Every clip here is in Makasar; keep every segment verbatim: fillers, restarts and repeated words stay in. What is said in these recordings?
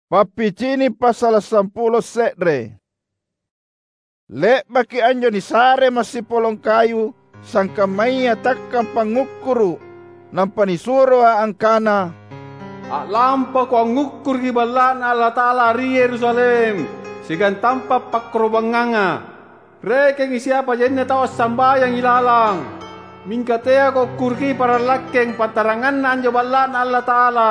Pappicini' passala' sampulo se're. Le'baki anjo nisare massipolong kayu sangkammaya takkang pangngukkuru', nampa nisuroa angkana, "A'lampako angngukkuruki Balla'Na Allata'ala ri Yerusalem, siagang tampa' pakkoro'bangnganga. Rekengi siapa jaina tau assambayang ilalang. Mingka teako ukkuruki parallakkeng pantaranganna anjo Balla'Na Allata'ala,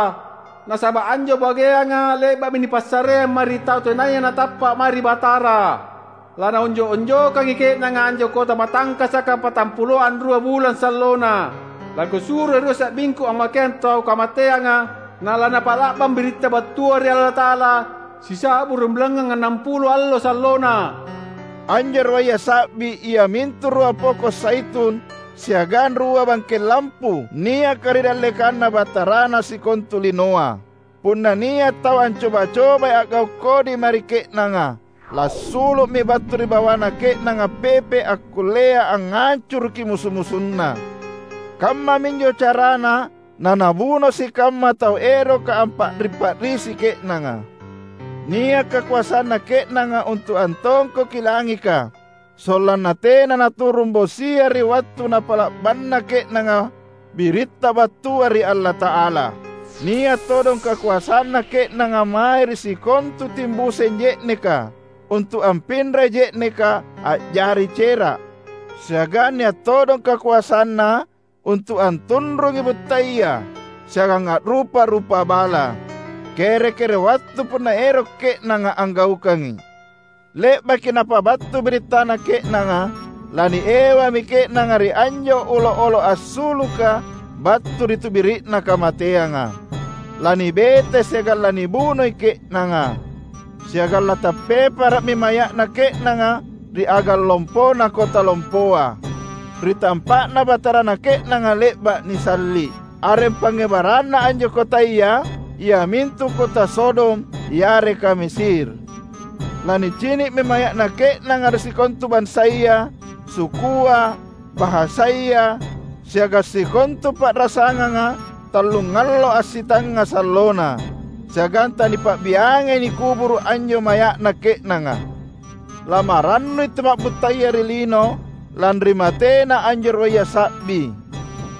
nasaba' anjo bageanga le'ba'mi nipassareang mae ri tau tenaya natappa' mae ri Batara. Lanaonjo'-onjokangi ke'nanga anjo kota matangkasaka patampulo anrua bulang sallona. Lakusuroi rua sa'bingku ammakeang tau kamateanga, na lanapa'la'bang biritta battua ri Allata'ala, sisa'bu ri bulangngang annampulo allo sallona." Anjo ruaya sa'bi iamintu rua poko' zaitun siagang rua bangkeng lampu niaka ri dallekanNa Batarana sikontu linoa. Punna nia' tau ancoba-cobai a'gau' kodi mae ri ke'nanga, lassulu'mi battu ri bawana ke'nanga pepe' akkullea angngancuruki musu-musunna. Kammaminjo carana nanabuno sikamma tau eroka ampa'ri-pa'risi ke'nanga. Nia' kakoasanna ke'nanga untu' antongkoki langika, sollanna tena naturung bosia ri wattu napa'la'banna ke'nanga biritta battua ri Allata'ala. Nia' todong kakoasanna ke'nanga mae ri sikontu timbuseng je'neka untu' ampinrai je'neka a'jari cera'. Siagang nia' todong kakoasanna untu' antunrungi buttaya siagang a'rupa-rupa bala, kere-kere wattu punna ero' ke'nanga anggaukangi. Le'baki napabattu birittana ke'nanga, laniewami ke'nanga ri anjo olo'-olo' assuluka battu ri tubiri'na kamateanga. Lanibete siagang lanibunoi ke'nanga. Siagang latappepara'mi maya'na ke'nanga ri agang lompona kota lompoa, ri tampa'na Batarana ke'nanga le'ba' nisalli'. Areng pangngebaranna anjo kotaya iamintu kota Sodom yareka Mesir. Lanicini'mi maya'na ke'nanga ri sikontu bansaya, sukua, bahasaya, siagang sikontu pa'rasanganga tallungallo assitangnga sallona, siagang tanipa'biangai nikuburu' anjo maya'na ke'nanga. Lamarannui tu ma'buttaya ri lino lanri matena anjo ruaya sa'bi.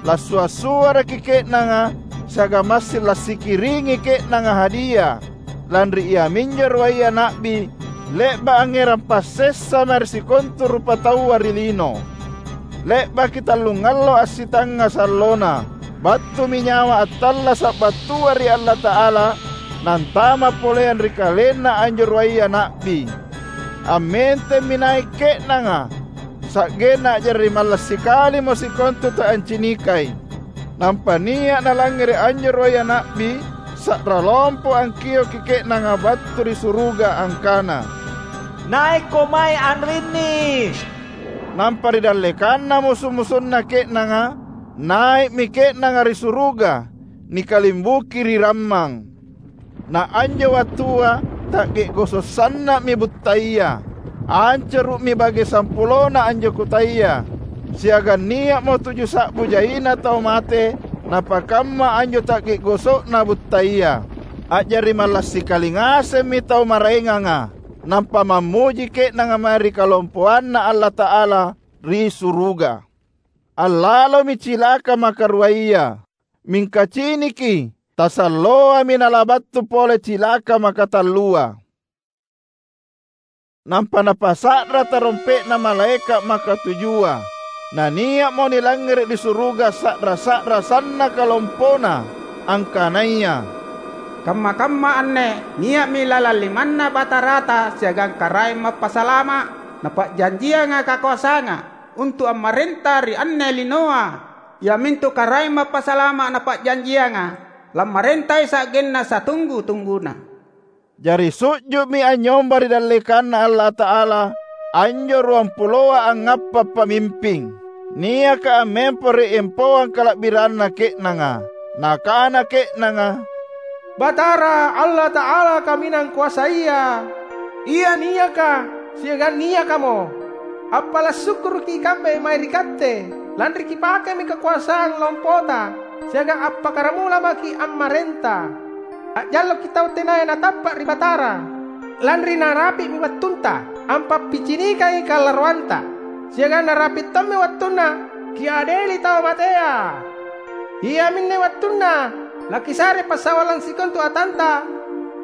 Lassua'-suaraki ke'nanga siagang massing lassikiringi ke'nanga hadia, lanri iaminjo ruaya na'bi le'ba' angngerang passessa mae ri sikontu rupataua ri lino. Le'baki tallungallo assitangnga sallona, battumi nyawa attallasa' battua ri Allata'ala, nantama' poleang ri kalenna anjo ruaya na'bi. Ammentemmi nai' ke'nanga, sa'genna a'jari mallang sikalimo sikontu tau ancinikai. Nampa nia' nalangngere' anjo ruaya na'bi, sa'ra lompo angkioki ke'nanga battu ri suruga angkana, "Naikko mae anrinni!" Nampa ri dallekanna musu-musunna ke'nanga, nai'mi ke'nanga ri suruga, nikalimbuki ri rammang. Na anjo wattua ta'ge'goso' sanna'mi buttaya. Ancuru'mi bage sampulona anjo kotaya, siagang nia'mo tuju sa'bu jaina tau mate napakamma anjo ta'ge'goso'na buttaya. A'jari mallang sikali ngasemmi tau maraenganga, nampa mammuji ke'nanga mae ri kalompoanNa Allata'ala ri suruga. Allalomi cilaka makaruaya, mingka ciniki, tasalloami nalabattu pole cilaka makatallua. Nampa napasa'ra tarompe'na malaeka' makatujua. Nania'mo nilangngere' ri suruga sa'ra-sa'ra sannaka lompona, angkanaya, "Kamma-kamma anne nia'mi lalang limanNa Batarata siagang Karaeng Mappasalama' Napa'janjianga kakoasanga untu' ammarenta ri anne linoa, iamintu Karaeng Mappasalama' Napa'janjianga, lammarentai sa'genna satunggu-tungguna." Jari su'ju'mi anynyomba ri dallekanNa Allata'ala anjo ruampuloa angngappa' pamimping, niaka ammempo ri empoang kala'biranna ke'nanga. Nakana ke'nanga, "Batara Allata'ala Kaminang Koasaya, Ia niaka siagang niakamo! Appala' sukkuruki ikambe mae ri Katte, lanri Kipakemi kakoasang lompota siagang appakkaramula maki' ammarenta. A'jalloki tau tenaya natappa' ri Batara, lanri narapi'mi wattunta ampappicinikangi kalaroanta, siagang narapi' tommi wattunna kiadeli tau matea. Iaminne wattunna lakisare passawallang sikontu atanta,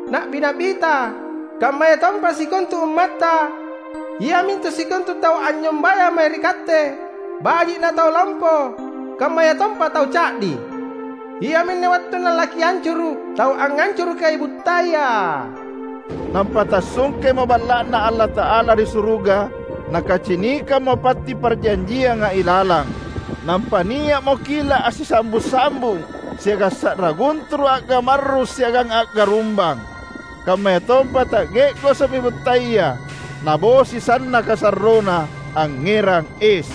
na'bi-na'bita, kammayatompa sikontu ummatta, iamintu sikontu tau anynyombayang mae ri Katte, baji' na tau lompo, kammayatompa tau ca'di. Iaminne wattunna lakiancuru' tau angngancurukai buttaya." Nampa tassungkemo Balla'Na Allata'ala ri suruga, nakacinikammo patti parjanjianga ilalang. Nampa nia'mo kila' assisambung-sambung, siagang sa'ra gunturu' a'gamarru' siagang a'garumbang. Kammayatompa ta'ge'goso'mi buttaya, nabosi sannaka sarrona, angngerang es.